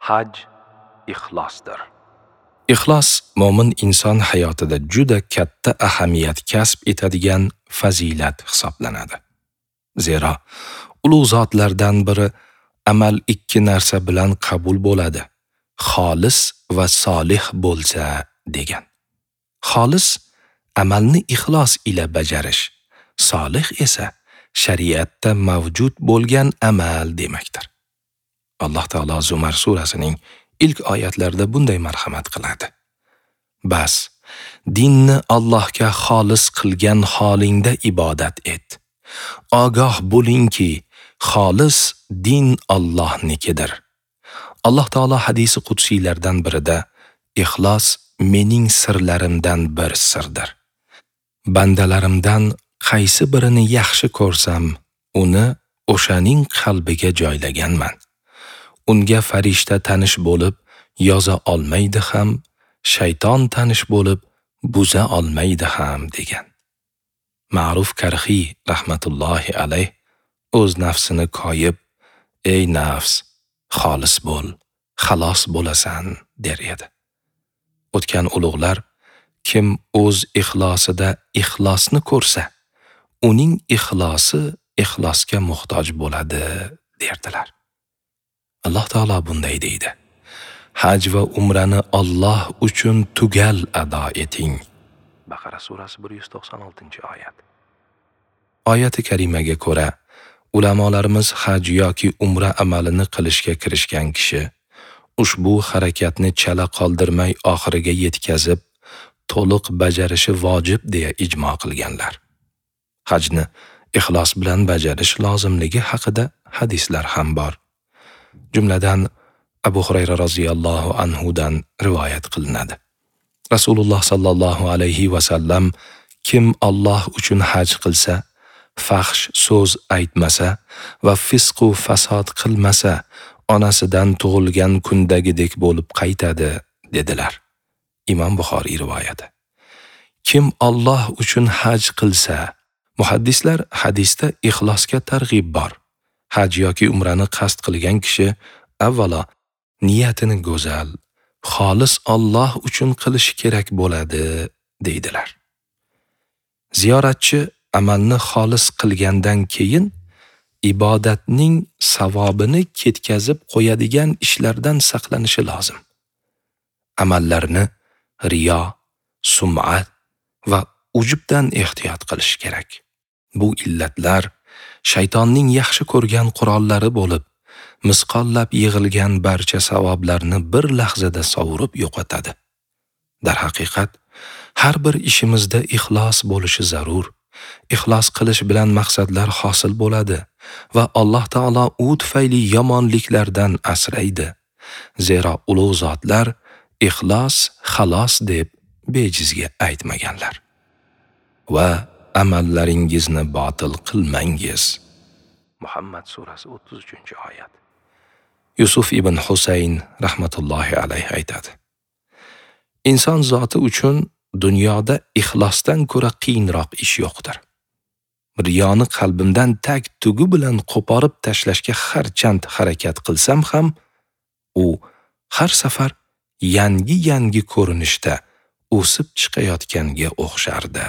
Haj ixlosdir. Ixlos mo'min inson hayotida juda katta ahamiyat kasb etadigan fazilat hisoblanadi. Zero ulug' zotlardan biri amal ikki narsa bilan qabul bo'ladi: xolis va solih bo'lsa degan. Xolis amalni ixlos ila bajarish, solih esa shariatda mavjud bo'lgan amal demakdir. Alloh taolo Zumar surasining ilk oyatlarida bunday marhamat qiladi: Bas, dinni Allohga xolis qilgan holingda ibodat et. Ogoh bo'lingki, xolis din Allohnikidir. Alloh taolo hadisi qudsiylardan birida ixlos mening sirlarimdan bir sirdir. Bandalarimdan qaysi birini yaxshi ko'rsam, uni o'shaning qalbiga joylaganman. Unga farishta tanish bo'lib yoza olmaydi ham, shayton tanish bo'lib buza olmaydi ham degan. Ma'ruf Karxiy rahmatullohi alayh o'z nafsini koyib, ey nafs, xolis bo'l, xalos bo'lasan der edi. O'tgan ulug'lar kim o'z ixlosida ixlosni ko'rsa, uning ixlosi ixlosga muhtoj bo'ladi derdilar. Alloh taolo bunday deydi: Haj va umrani Alloh uchun tugal ado eting. Baqara surasi 196-oyat. Oyati karimaga ko'ra, ulamolarimiz haj yoki umra amalini qilishga kirishgan kishi ushbu harakatni chala qoldirmay oxiriga yetkazib, to'liq bajarishi vojib deya ijmo qilganlar. Hajni ixlos bilan bajarish lozimligi haqida hadislar ham bor. Jumladan Abu Hurayra roziyallohu anhu dan rivoyat qilinadi. Rasululloh sallallohu alayhi va sallam kim Alloh uchun haj qilsa, fahsh so'z aytmasa va fisq u fasod qilmasa, onasidan tug'ilgan kundagidek bo'lib qaytadi dedilar. Imom Buxoriy rivoyati. Kim Alloh uchun haj qilsa, muhaddislar hadisda ixlosga targ'ib bor. Haj yoki umrani qasd qilgan kishi avvalo niyatini go'zal, xolis Alloh uchun qilishi kerak bo'ladi deydilar. Ziyoratchi amalni xolis qilgandan keyin ibodatning savobini ketkazib qo'yadigan ishlardan saqlanishi lozim. Amallarni riyo, sum'at va ujubdan ehtiyot qilish kerak. Bu illatlar shaytonning yaxshi ko'rgan qurollari bo'lib, misqollab yig'ilgan barcha savoblarni bir lahzada sovurib yo'qotadi. Darhaqiqat, har bir ishimizda ixlos bo'lishi zarur. Ixlos qilish bilan maqsadlar hosil bo'ladi va Alloh taolo u tufayli yomonliklardan asraydi. Zero ulug' zotlar ixlos xalos deb bejizga aytmaganlar. Va amallaringizni botil qilmangiz. Muhammad surasi 33-oyat. Yusuf ibn Husayn rahmatullohi alayhi aytadi: Inson zoti uchun dunyoda ixlosdan ko'ra qiyinroq ish yo'qdir. Riyoni qalbimdan tag tugi bilan qo'porib tashlashga harchand harakat qilsam ham, u har safar yangi-yangi ko'rinishda o'sib chiqayotganga o'xshardi.